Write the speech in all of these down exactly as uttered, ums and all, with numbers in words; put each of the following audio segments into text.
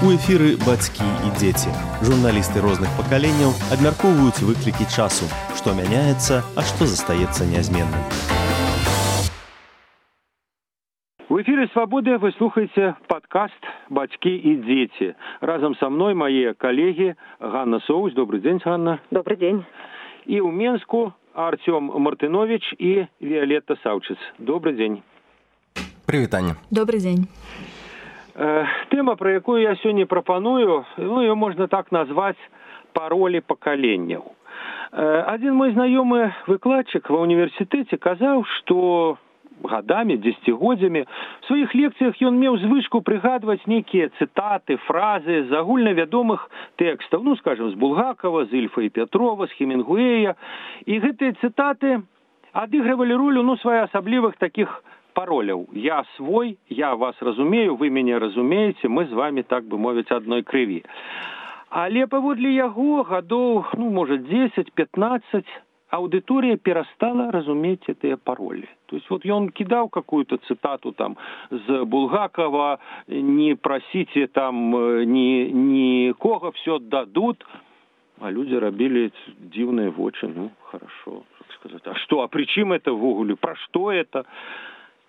У эфіры бацькі і дзеці. Журналісты розных пакаленняў абмяркоўваюць выклікі часу, што мяняецца, а што застаецца нязменным. В эфире «Свободы» вы слушаете подкаст «Бацькі и дети». Разом со мной мои коллеги Ганна Соус. Добрый день, Ганна. Добрый день. И у Менску Артем Мартынович и Виолетта Савчиц. Добрый день. Привет, Аня. Добрый день. Тема, про якую я сегодня пропоную, ну, ее можно так назвать «Пароли поколенияў». Один мой знакомый выкладчик в университете сказал, что годами, десятигоддзямі в своих лекциях он меў звычку прыгадваць некие цитаты, фразы з агульнавядомых текстов, ну, скажем, с Булгакова, с Ильфа и Петрова, с Хемингуэя. И гэтыя цитаты адыгрывали роль, ну, своеасаблівых таких пароляў. Я свой, я вас разумею, вы мяне разумееце, мы з вами, так бы мовіць, адной крыві. Але паводле яго гадоў, ну, можа, десять-пятнадцать, аудитория перестала разуметь эти пароли. То есть вот он кидал какую-то цитату там с Булгакова, не просите там ни, никого, все дадут, а люди робили дивные вочи, ну, хорошо, так сказать. А что, а при чем это в уголе, про что это?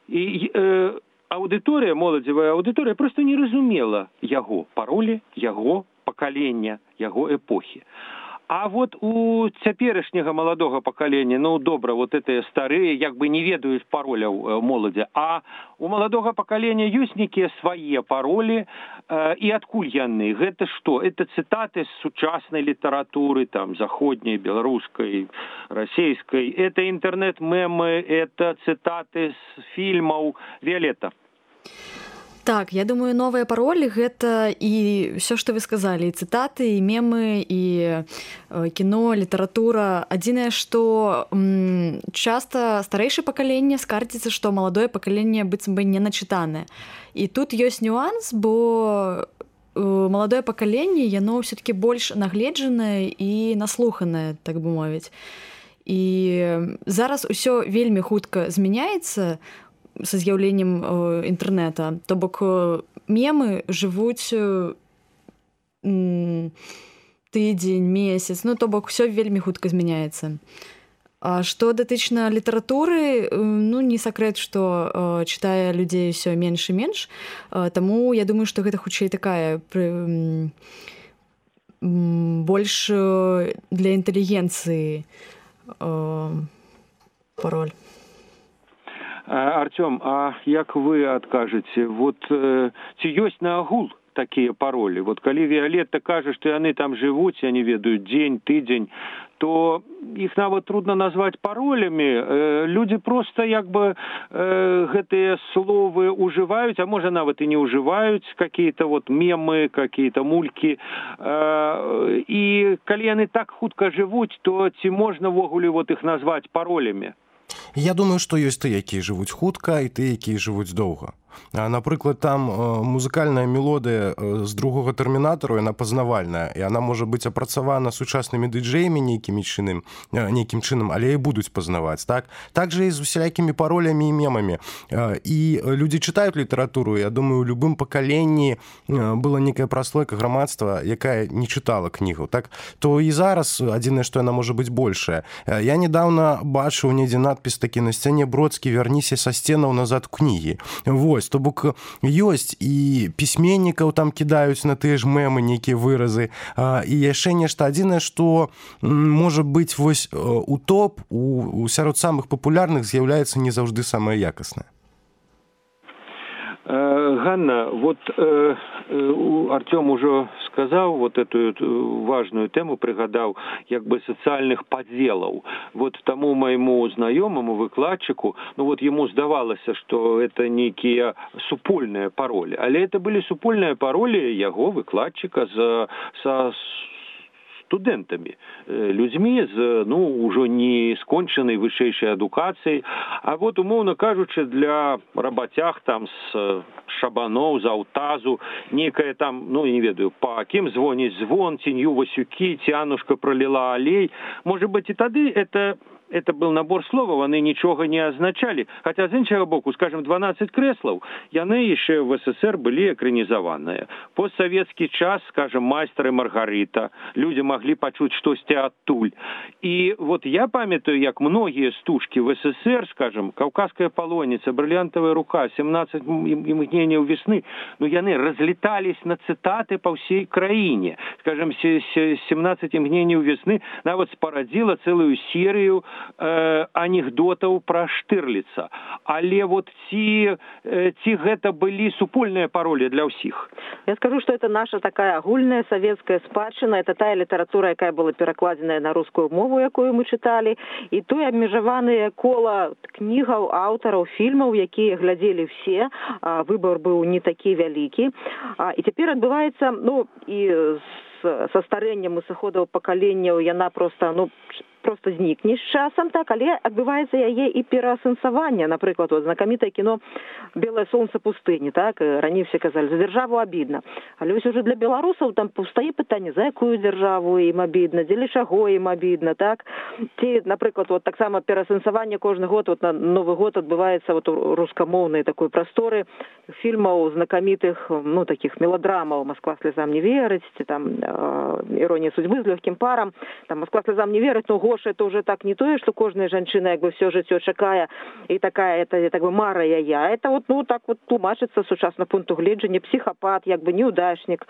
И э, аудитория, молодевая аудитория просто не разумела яго паролі, яго пакалення, яго эпохи. А вот у цяперашняга маладога пакалення, ну, добра, вот этыя старыя, як бы не ведаюць пароляў моладзі, а у маладога пакалення ёсць некія свае паролі, э, і адкуль яны? Гэта што? Это цытаты з сучаснай літаратуры, там, заходняй, беларускай, расійскай, это інтэрнэт-мемы, это цытаты з фільмаў. Виолетта. Так, я думаю, новыя паролі гэта і ўсё, што вы сказалі, і цытаты, і мемы, і кіно, літаратура. Адзінае, што м, часта старэйшае пакаленне скардзіцца, што маладое пакаленне быццам бы не начытанае. І тут ёсць нюанс, бо маладое пакаленне, яно ўсё-такі больш нагледжанае і наслуханае, так бы мовіць. І зараз усё вельмі хутка змяняецца са з'яўленнем э, інтэрнэта. То бок э, мемы жывуць э, тыдзень, месяц, ну то бок усё вельмі хутка змяняецца. А што датычна літаратуры, э, ну не сакрэт, што э, чытае людзей усё менш і менш, э, таму я думаю, што гэта хутчэй такая э, больш э, для інтэлігенцыі э, пароль. Артем, а як вы адкажаце, вот э, ці ёсць на агул такія паролі? Вот калі Виолетта кажа, што яны там жывуць, я не ведаю, дзень, тыдзень, то іх нават трудно назваць паролямі. Э, люди просто як бы э, гэтыя словы уживаюць, а можа нават і не уживаюць, какие-то вот мемы, какие-то мульки. Э, і калі яны так хутка жывуць, то ці можна ввогуле вот іх назваць паролямі? Я думаю, што ёсць тыя, якія жывуць хутка, і тыя, якія жывуць доўга. Напрыклад, там музыкальная мелодыя з другога тэрмінатару, яна пазнавальная, і яна можа быць апрацавана сучаснымі дыджэямі нейкім чынам, нейкім чынам, але і будуць пазнаваць, так? Так жа і з усялякімі паролямі і мемамі. І людзі чытаюць літаратуру, я думаю, у любым пакаленні была некая праслойка грамадства, якая не чытала кнігу, так? То і зараз адзінае, што яна можа быць большая. Я недавно бачыў недзе надпіс такі на сцяне Бродскі «Вярніся са сценаў назад у кнігі». Вось, то бок ёсць і пісьменнікаў там кідаюць на тыя ж мемы нейкія выразы, і яшчэ нешта адзінае, што можа быць вось у топ, у сярод самых папулярных з'яўляецца не заўжды самае якаснае. Ганна, вот э, Артем уже сказал вот эту важную тему, пригадал, як бы социальных подделов. Вот тому моему знакомому выкладчику, ну вот ему сдавалось, что это некие супольные пароли, але это были супольные пароли его выкладчика за, со студэнтамі, людзьмі з, ну, ўжо не скончанай вышэйшай адукацыяй, а вот, умоўна кажучы, для рабацяг там з шабаноў, з аўтазу, некая там, ну, не ведаю, па кім звоніць звон, цінью Васюкі, Цянушка пролила алей. Может быть, и тады это это был набор словаў, яны нічога не азначалі. Хаця з іншага боку, скажем, дванаццаць крэслаў, яны яшчэ в СССР былі экранізаваныя. Постсавецкі час, скажем, майстар і Маргарыта, людзі маглі пачуць штосьці адтуль. І вот я памятаю, як многія стужкі в СССР, скажем, «Каўказская палонница», «Бриллиантовая рука», «семнадцать мгненияў весны», ну яны разлетались на цитаты по всей краіне. Скажем, «семнадцать мгненияў весны» нават спарадзіла цэлую серію Э, анекдотаў пра Штырліца. Але вот ці, э, ці гэта былі супольныя пароли для ўсіх? Я скажу, что это наша такая агульная советская спадчына, это тая літаратура, якая была перакладзеная на рускую мову, якую мы чыталі, і той абмежаваныя кола кнігаў, аўтараў, фільмаў, якія глядзелі все, а, выбор быў не такі вялікі. А, і цяпер адбываецца, ну, і са старэннем і сыходаў пакаленняў яна проста, ну, просто знікне з часам, так, але адбываецца яе і пераасэнсаванне. Напрыклад, вот, знакамітае кіно «Белое солнце пустыни», так, раней все казалі, за дзяржаву абідна. Але ўсё уже для беларусаў там паўстае пытанне, за якую дзяржаву ім абідна, дзеля чаго ім абідна, так. Ці, напрыклад, вот таксама пераасэнсаванне кожны год, вот на Новы год адбываецца вот у рускамоўнай такой прасторы фільмаў знакамітых, ну, таких меладрамаў «Москва слезам не верыць», ці там «Іронія судьбы» з лёгкім парам, там «Москва слезам не верыць», ну, Гоша, это уже так не тое, что кожная жанчына як бы все жыццё чакае і такая, это так бы мара яя. Это вот, ну, так вот тлумачыцца сучасна пункту гледжання, психопат, як бы неудачник,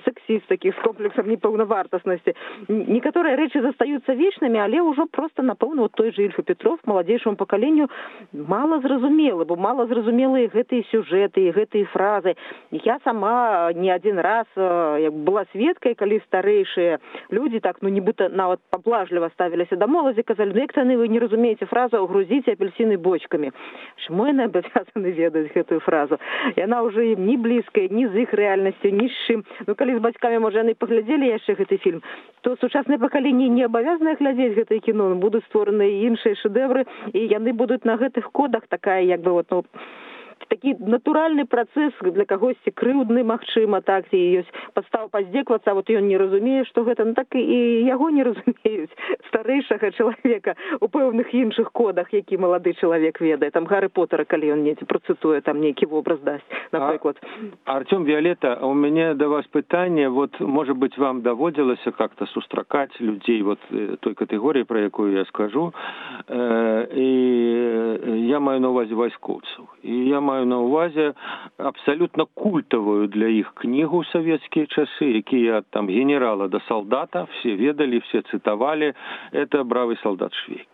сексист таких с комплексом непаўнавартаснасці. Некаторыя рэчы застаюцца вечнымі, але ўжо просто, напэўна, вот той же Ільфа Петров маладзейшаму пакаленню мала зразумелы, бо мала зразумелыя гэтыя сюжэты, гэтыя фразы. Я сама не один раз як была сведкай, калі старэйшыя людзі так, ну, нібыта нават паблажліва ставіліся да моладзі, казалі, ну, як яны вы не разумееце фразу «грузіце апельсины бочками». Чаму яны абавязаны ведаць гэтую фразу? Яна ўжо ім не блізкая, ні з іх рэальнасцю, ні з чым. Ну, калі з бацькамі, можа, яны паглядзелі яшчэ гэты фільм, то сучаснае пакаленне не абавязанае глядзець гэтае кіно, будуць створаны іншыя шэдэвры, і яны будуць на гэтых кодах такая, як бы, вот, ну, такі натуральны працэс для кагосьці крыўдны, магчыма, так, ці ёсць падстава паздзеквацца, а вот ён не разумее, што гэта, ну, так і яго не разумеюць, старэйшага чалавека у пэўных іншых кодах, які малады чалавек ведае. Там Гарры Поттера, калі ён недзе працытуе, там нейкі вобраз дасць, напрыклад. А, Артём, Виолетта, у меня до вас пытанне, вот, может быть, вам даводзілася как-то сустракаць людзей вот той катэгорыі, про якую я скажу, э, і я маю на увазе вайскоўцаў. І я маю на увазе абсолютно культовую для іх кнігу ў савецкія часы, якія там генерала до солдата, все ведали, все цитовали, это «Бравый солдат Швейк».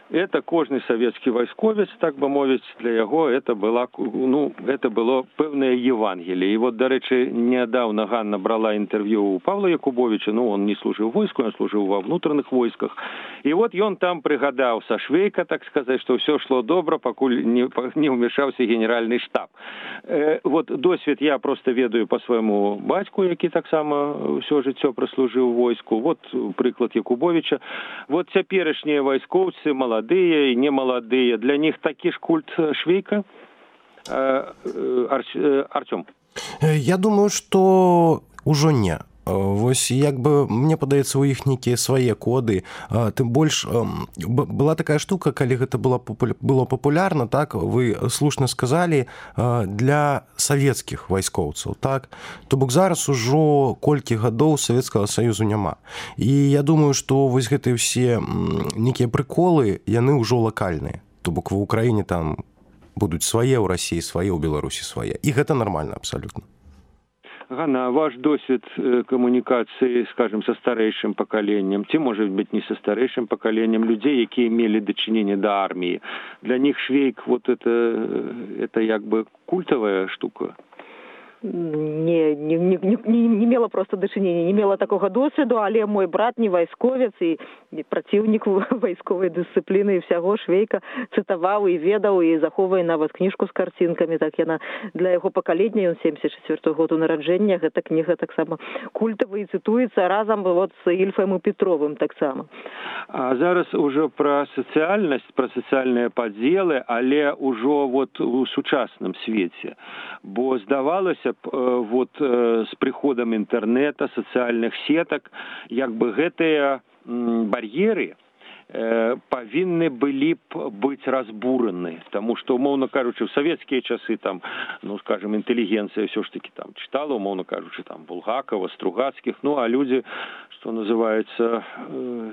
Это кожны савецкі вайсковец, так бы мовіць, для яго это была, ну, это было пэўнае Евангелие. И вот, дарэчы, нядаўна Ганна брала интервью у Павла Якубовича, ну, он не служил в войску, он служил во внутренних войсках. И вот он там пригадал со Швейка, так сказать, что все шло добро, покуль не, не умешался генеральный штаб. Э, вот досвід я просто ведаю по своему батьку, який так само все жыццё прослужил в войску. Вот приклад Якубовича. Вот цяперашнія вайскоўцы, молодые, молодые и немолодые. Для них такі ж культ Швейка? Артём? Я думаю, что ўжо не. Вось як бы мне падаецца, у іх нейкія свае коды, тым больш была такая штука, калі гэта было было папулярна, так, вы слушна сказалі, для савецкіх вайскоўцаў, так, то бок зараз ужо колькі гадоў Савецкага Саюзу няма. І я думаю, што вось гэтыя ўсе нейкія прыколы, яны ўжо лакальныя, то бок ва Ўкраіне там будуць свае, ў Расіі свае, ў Беларусі свае, і гэта нармальна абсалютна. Ганна, ваш досвід коммуникации, скажем, со старейшим поколением, ці, может быть, не со старейшим поколением людей, які имели дочинение до армии, для них Швейк, вот это, это як бы культовая штука? Не, не, не, не, не мела просто дачынення, не мела такога досведу, але мой брат не вайсковец і праціўнік вайсковай дысцыпліны і ўсяго Швейка цытаваў і ведаў і захоўвае нават кніжку з карцінкамі, так яна для яго пакалення, ён семьдесят четвёртого году нараджэння, гэта кніга таксама культавая і цытуецца разам вот з Ільфам і Петровым таксама. А зараз ужо пра сацыяльнасць, пра сацыяльныя падзелы, але ўжо вот у сучасным свеце, бо здавалася вот с приходом интернета, социальных сеток, як бы гэтыя бар'еры павінны былі б быць разбураны, тому что, умоўно кажучы, в савецкія часы там, ну, скажем, інтэлігенцыя ўсё ж таки там читала, умоўно кажучы, там Булгакова, Стругацкіх, ну, а люди, что называется,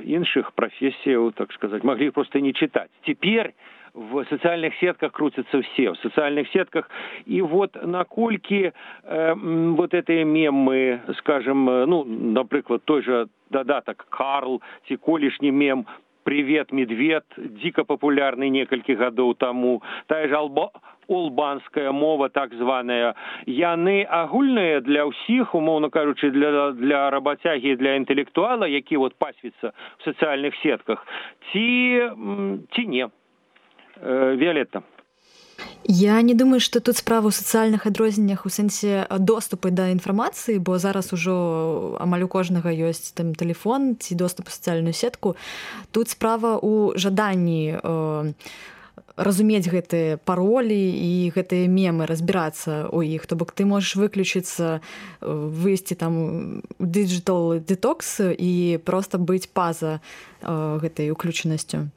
іншых профессияў, так сказать, могли просто не читать. Теперь в социальных сетках крутятся все, в социальных сетках. И вот накольки э, вот эти мемы, скажем, ну, например, той же додаток Карл, ці колішні мем «Привет, медведь», дико популярный несколько годов тому, та же алба... олбанская мова, так званая, яны агульныя для ўсіх, умоўно кажучы, для, для работягі, для інтэлектуала, які вот пасвіцца в социальных сетках, ці, ці не. Виолетта. Я не думаю, што тут справа ў сацыяльных адрозненнях у сэнсе доступы да інфармацыі, бо зараз ужо амаль у кожнага ёсць там тэлефон ці доступ у сацыяльную сетку. Тут справа ў жаданні э, разумець гэтыя паролі і гэтыя мемы, разбірацца ў іх. То бок ты можаш выключыцца, выйсці там digital detox і проста быць па-за э, гэтай уключанасцю.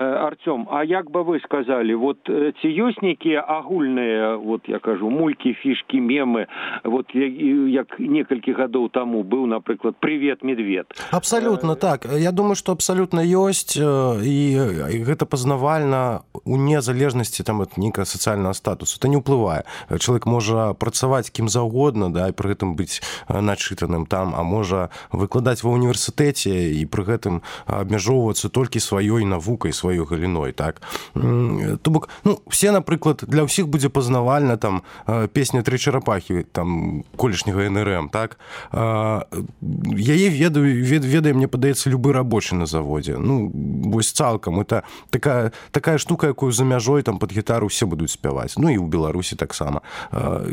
Артём, а як бы вы сказали, вот ці ёсць нейкія агульныя, вот я кажу, мулькі, фішкі, мемы, вот як некалькі гадоў таму быў, напрыклад, «Привет, медведь». Абсолютно так. Я думаю, что абсолютно ёсць, і гэта пазнавальна у незалежнасці там ад нейкага сацыяльнага статусу. Это не ўплывае. Чалавек можа працаваць кім заўгодна, да, і пры гэтым быць начытаным там, а можа выкладаць ва універсітэце і пры гэтым абмяжоўвацца толькі сваёй навукай, сваёй галіной, так. То бок, ну, все, напрыклад, для ўсіх будзе пазнавальна там песня «Тры чарапахі», там, колішняга эн эр эм, так. Яе ведаю, ведае, мне падаецца, любы рабочы на заводзе. Ну, вось цалкам. Это такая, такая штука, якую за мяжой там пад гітару все будуць спяваць. Ну, і ў Беларусі таксама.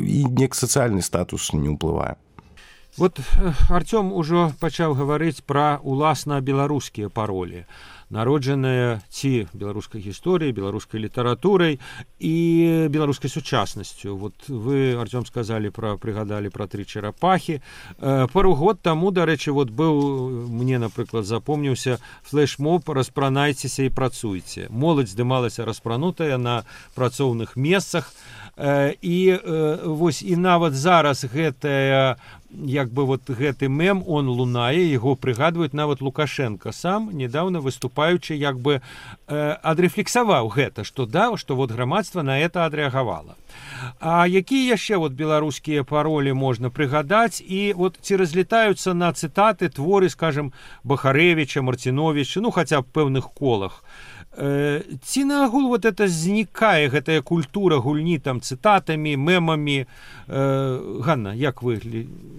І нек сацыяльны статус не ўплывае. Вот Артём ужо пачаў гаварыць пра уласна беларускія паролі, народжаныя ці беларускай гісторыяй, беларускай літаратурай і беларускай сучаснасцю. Вот вы, Артём, сказалі пра, прыгадалі пра «Тры чарапахі». Пару год таму, дарэчы, вот быў, мне, напрыклад, запомніўся флэш-моб «Распранайцеся і працуйце». Моладзь здымалася распранутая на працоўных месцах. І вось і нават зараз гэтая, як бы вот гэты мем, он лунае, яго прыгадваюць нават Лукашенко сам, недавно выступаючы, як бы адрэфлексаваў гэта, што да, што вот грамадства на это адрэагавала. А якія яшчэ вот беларускія паролі можна прыгадаць, і вот ці разлетаюцца на цытаты творы, скажем, Бахарэвіча, Марціновіча, ну хаця б пэўных колах. Ці наагул вот это знікае, гэтая культура гульні там цытатамі, мемамі? Ганна, як вы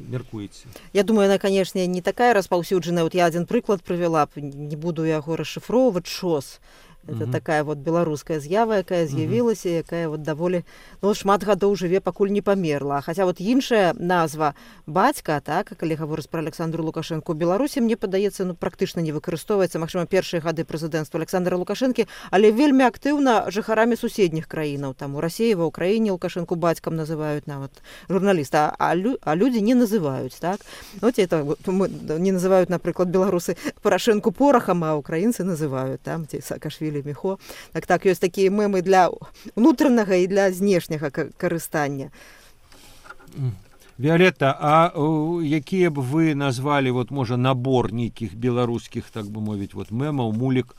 меркуеце? Я думаю, она, конечно, не такая распаўсюджаная. Вот я один прыклад прывяла, не буду яго расшифроўваць, ШОС. Это uh-huh. такая вот беларуская з'ява, якая з'явілася, uh-huh. якая вот даволі, ну, шмат гадоў жыве, пакуль не памерла. Хаця вот іншая назва бацька, так, калі гаворыць пра Александру Лукашенко, у Беларусі, мне падаецца, ну, практычна не выкарыстоўваецца, магчыма, першыя гады прэзідэнцтва Александра Лукашэнкі, але вельмі актыўна жыхарамі суседніх краінаў. Там у Расіі, ва Ўкраіне Лукашенко бацькам называюць нават журналіста, а, лю, а людзі не называюць, так. Вот это не называюць, напрыклад, беларусы Парашэнку порахам, а украінцы называюць, там, ці Саакашвілі Міхо. Так, так, ёсць такія мемы для ўнутранага і для знешняга карыстання. Виолетта, а якія б вы назвалі, вот, можа, набор нейкіх беларускіх, так бы мовіць, вот, мемаў, мулік,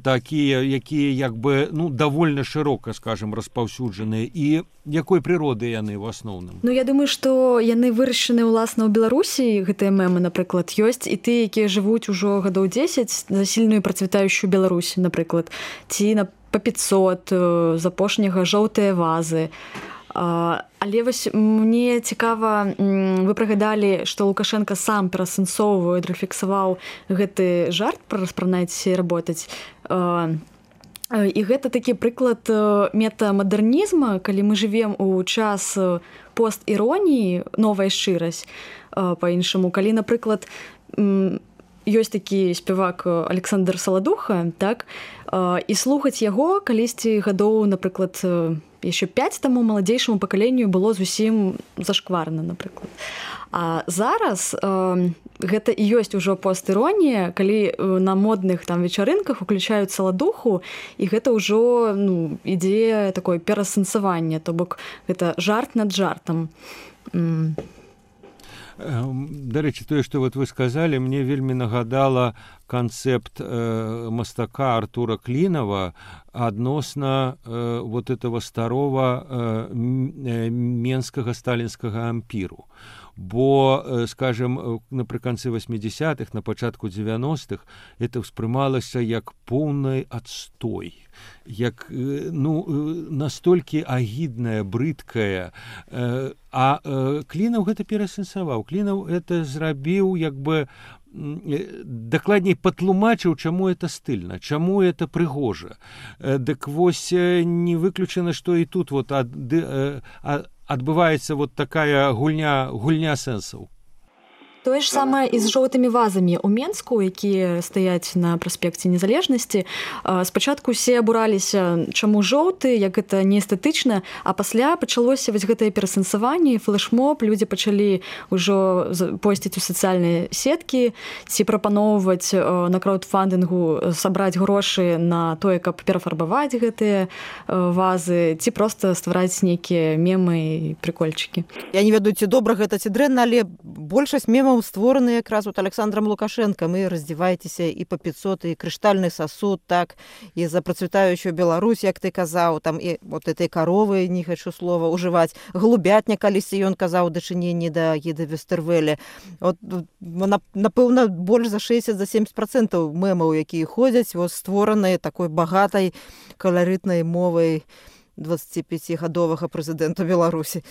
такія, якія, як бы, ну, давольна шырока, скажем, распаўсюджаныя, і якой прыроды яны ў асноўным? Ну, я думаю, што яны вырашаны ўласна ў Беларусі, гэтыя мемы, напрыклад, ёсць, і ты, якія жывуць ужо гадоў дзесяць за сільную працвітаючую Беларусь, напрыклад, ці на па пятьсот, з апошняга жоўтыя вазы. Але вось мне цікава, вы прыгадалі, што Лукашенко сам перасэнсоўвае, рэфлексаваў гэты жарт пра распранайцеся і работаць. І гэта такі прыклад метамадэрнізма, калі мы жывем у час пост-іроніі, новая шчырасць, па-іншаму. Калі, напрыклад, ёсць такі спявак Александр Саладуха, так, і слухаць яго калісьці гадоў, напрыклад, яшчэ пяць таму маладзейшаму пакаленню было зусім зашкварна, напрыклад. А зараз э, гэта і ёсць ужо постіронія, калі на модных там вечарынках уключаюць саладуху, і гэта ўжо ну, ідзе такое пераасэнсаванне, то бок гэта жарт над жартам. Дарэчы, тое, што вот вы сказалі, мне вельмі нагадала канцэпт э, мастака Артура Клінава адносна э, вот этого старого э, менскага сталінскага ампіру. Бо, скажем, напрыканцы восьмидесятых, на пачатку девяностых это ўспрымалася як поўны адстой, як ну, настолькі агідная, брыдкая. А Клінаў гэта пераасэнсаваў. Клінаў это зрабіў, як бы дакладней патлумачыў, чаму это стыльна, чаму это прыгожа. Дык вось не выключана, што і тут вот ад, ад, адбываецца вот такая гульня, гульня сэнсаў. Тое ж самае і з жоўтымі вазамі ў Менску, якія стаяць на праспекце Незалежнасці. Спачатку усе абураліся, чаму жоўты, як гэта неэстэтычна, а пасля пачалося вось гэтае перасэнсаванне, флешмоб, людзі пачалі ўжо посціць у сацыяльныя сеткі, ці прапаноўваць на краудфандынгу сабраць грошы на тое, каб перафарбаваць гэтыя вазы, ці проста ствараць нейкія мемы і прыкольчыкі. Я не ведаю, ці добра гэта, ці дрэнна, але большасць мемаў створаны якраз вот Александром Лукашенком, і раздзявайцеся і па пятьсот, і крыштальны сасуд, так, і за працвітаючую Беларусь, як ты казаў, там і вот этой каровы, не хочу слова ужываць, голубятня, калісьці ён казаў дачыненні да Гіда Вестэрвеля. Вот, напэўна, больш за шэсцьдзесят за семьдесят процентаў мемаў, якія ходзяць, вот, створаныя такой багатай каларытнай мовай двадцатипятигадовага прэзідэнта Беларусі.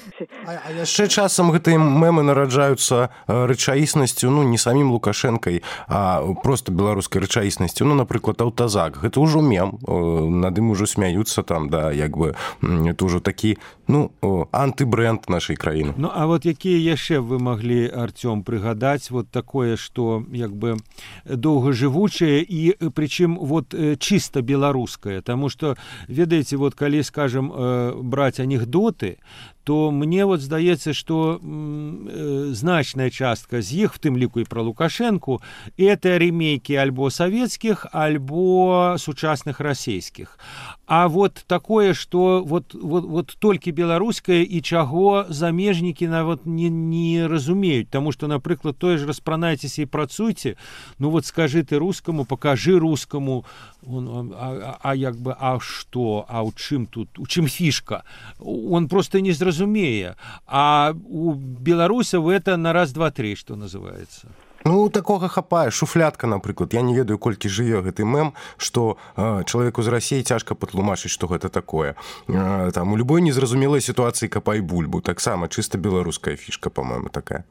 А, а яшчэ часам гэтыя мемы нараджаюцца рэчаіснасцю, ну, не самім Лукашэнкай, а проста беларускай рэчаіснасцю. Ну, напрыклад, аўтазак. Гэта ўжо мем. Над ім ужо смяюцца там, да, як бы, это ўжо такі, ну, антыбрэнд нашай краіны. Ну, а вот якія яшчэ вы маглі, Артём, прыгадаць вот такое, што, як бы, доўгажывучае і, прычым, вот, чыста беларускае. Таму што, ведаеце, вот, калі, скажем, браць анекдоты, то мне вот здаецца, што э, значная частка з іх, в тым ліку і пра Лукашэнку, это ремейкі альбо савецкіх, альбо сучасных расійскіх. А вот такое, што вот, вот, вот толькі беларускае і чаго замежнікі нават не, не разумеюць. Таму што, напрыклад, тое ж распранайцеся і працуйце, ну вот скажы ты рускаму, пакажы рускаму, он, а, а, а як бы, а што, а ў чым тут, у чым фішка? Он просто не зразумее. Разумее, а у беларусаў это на раз, два, три, што называецца. Ну, такога хапае. Шуфлятка, напрыклад. Я не ведаю, колькі жыве гэты мем, што э, чалавеку з Расіі цяжка патлумачыць, што гэта такое. Э, там, у любой незразумелай сітуацыі капай бульбу. Таксама чыста беларуская фішка, па-мойму, такая.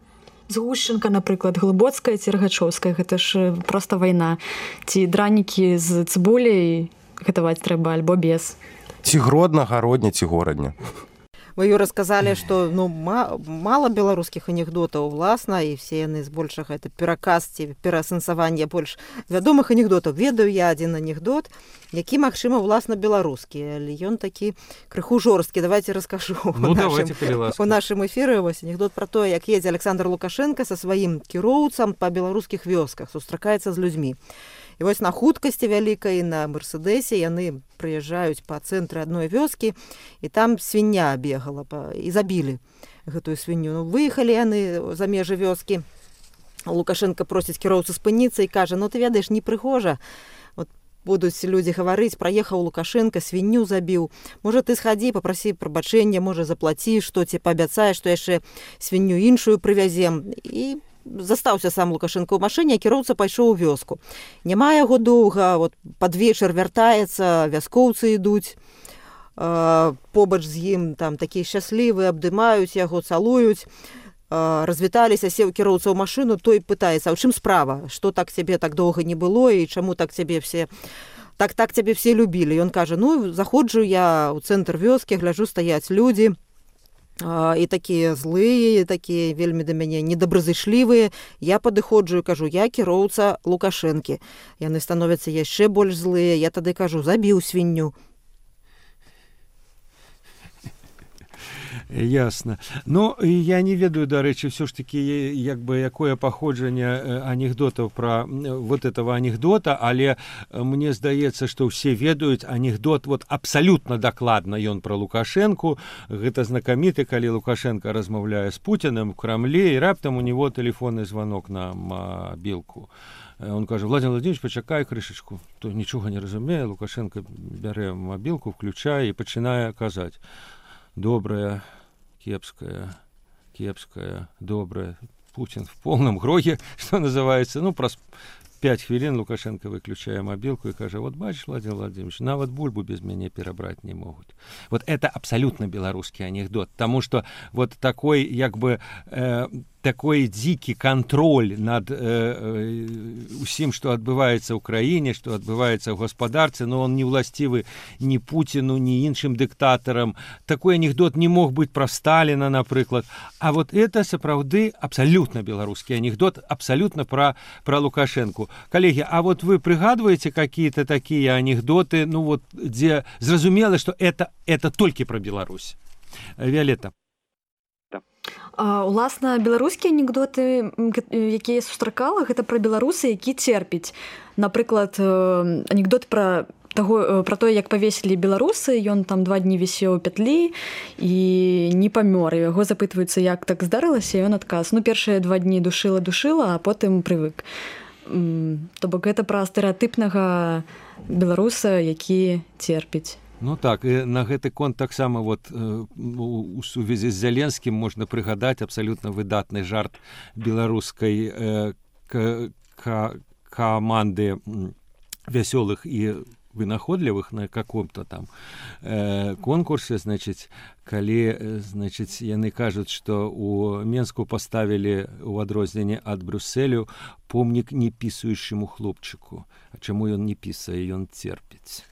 Згушчынка, напрыклад, глыбоцкая ці рагачоўская, гэта ж проста вайна. Ці дранікі з цыбуляй гатаваць трэба, альбо без. Ці гродна, гародня, ці горадня. Вы ёй расказалі, што ну, мала беларускіх анекдотаў уласна, і все яны збольшага это пераказ ці пераасэнсаванне больш вядомых анекдотаў. Ведаю я адзін анекдот, які, магчыма, уласна беларускі, але ён такі крыху жорсткі. Давайте раскажу. Ну, давайте, калі ласка. У нашым эфіры вось анекдот пра тое, як едзе Александр Лукашенко са сваім кіроўцам па беларускіх вёсках, сустракаецца з людзьмі. І вось на хуткасці вялікай, на Мерседесе яны прыязджаюць па цэнтры адной вёскі, і там свіння бегала, і забілі гэтую свінню. Ну, выехалі яны за межы вёскі. Лукашенко просіць кіроўцу спыніцца і кажа, ну ты ведаеш, непрыгожа. Вот будуць людзі гаварыць, праехаў Лукашенко, свінню забіў. Можа, ты схадзі, папрасі прабачэння, можа, заплаці, што ці паабяцаеш, што яшчэ свінню іншую прывязем. І застаўся сам Лукашенко ў машыне, а кіроўца пайшоў у вёску. Няма яго доўга, вот пад вечар вяртаецца, вяскоўцы ідуць, э, побач з ім там такія шчаслівыя, абдымаюць яго, цалуюць, э, развіталіся, сеў кіроўца ў машыну, той пытаецца, а ў чым справа? Што так цябе так доўга не было і чаму так цябе все так так цябе все любілі? Ён кажа, ну, заходжу я ў цэнтр вёскі, гляджу, стаяць людзі, і такія злыя, такія вельмі да мяне недобразышлівыя. Я падыходжу і кажу, я кіроўца Лукашэнкі. Яны становяцца яшчэ больш злыя. Я тады кажу, забіў свінню. Ясно. Ну, я не ведаю, дарэчы, все ж таки, як бы, якое паходжанне анекдотаў пра вот этого анекдота, але мне здаецца, што ўсе ведаюць анекдот вот абсалютна дакладна ён пра Лукашэнку. Гэта знакаміты, калі Лукашенко размаўляе з Путіным в Крамле, і раптам у него телефонны звонок на мобілку. Он кажа: Владимир Владимирович, почакай крышечку. То нічога не разумее, Лукашенко бярэ мобілку, включае і пачынае казаць: добрая, кепская, кепская, добрая. Путин в полном гроге, что называется. Ну, праз пять хвілін Лукашенко выключае мобилку и кажа: вот бачиш, Владимир Владимирович, нават бульбу без мяне перабраць не могуць. Вот это абсолютно беларускі анекдот, потому что вот такой, як бы, э, такой дзікі кантроль над э, э, усім, што адбываецца ў краіне, што адбываецца ў гаспадарцы, но он не ўласцівы ні Путіну, ні іншым дыктатарам. Такой анекдот не мог быць пра Сталіна, напрыклад. А вот это сапраўды абсалютна беларускі анекдот, абсалютна пра, пра Лукашэнку. Коллеги, а вот вы пригадываете какие-то такие анекдоты, ну вот, где зразумела, что это, это только про Беларусь? Виолетта. А, уласна, беларускія анекдоты, якія я сустракала, гэта пра беларусы, які церпіць. Напрыклад, анекдот пра таго, пра тое, як павесілі беларусы, ён там два дні вісеў у пятлі і не памёр. Яго запытваюцца, як так здарылася, і ён адказ: ну, першыя два дні душыла-душыла, а потым прывык. То бок гэта пра стэрэатыпнага беларуса, які церпіць. Ну так, і на гэты конт таксама вот у сувязі з Зяленскім можна прыгадаць абсалютна выдатны жарт беларускай э, к- каманды вясёлых і вынаходлівых на каком-то там э, конкурсе, значит, калі, значит, яны кажуць, што у Менску поставілі у адрозненне ад Брюсселю помнік не пісаючаму хлопчыку. А чаму ён не пісае, ён церпіць.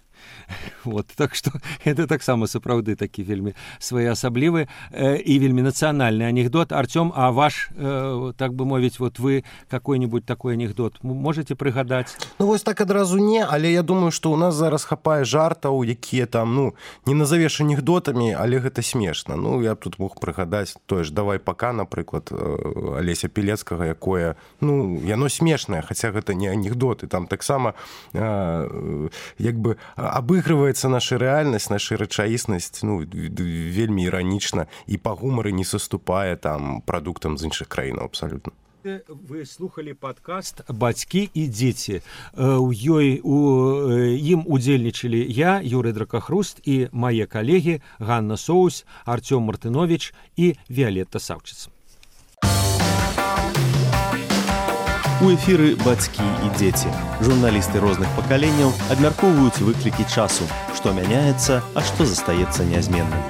Вот, так что это таксама сапраўды такі вельмі своеасаблівы э, і вельмі нацыянальны анекдот. Артём, а ваш, э, так бы мовіць, вот вы какой-нибудь такой анекдот можете прыгадаць? Ну вось так адразу не, але я думаю, што ў нас зараз хапае жартаў, якія там, ну, не назавеш анекдотамі, але гэта смешна. Ну, я тут мог прыгадаць тое ж «Давай пока», напрыклад, Алеся Пілецкага, якое, ну, яно смешнае, хаця гэта не анекдоты, там таксама э, як бы абыгрываецца наша рэальнасць, наша рэчаіснасць, ну, вельмі іранічна, і па гумары не саступае там прадуктам з іншых краінаў абсалютна. Вы слухали падкаст «Бацькі і дзеці». У ёй у ім удзельнічалі я, Юрый Дракахруст, і мае калегі Ганна Соусь, Артём Мартынович і Виолетта Савчыц. У эфіры «Бацькі і дзеці». Журналісты розных пакаленняў абмяркоўваюць выклікі часу, што мяняецца, а што застаецца нязменным.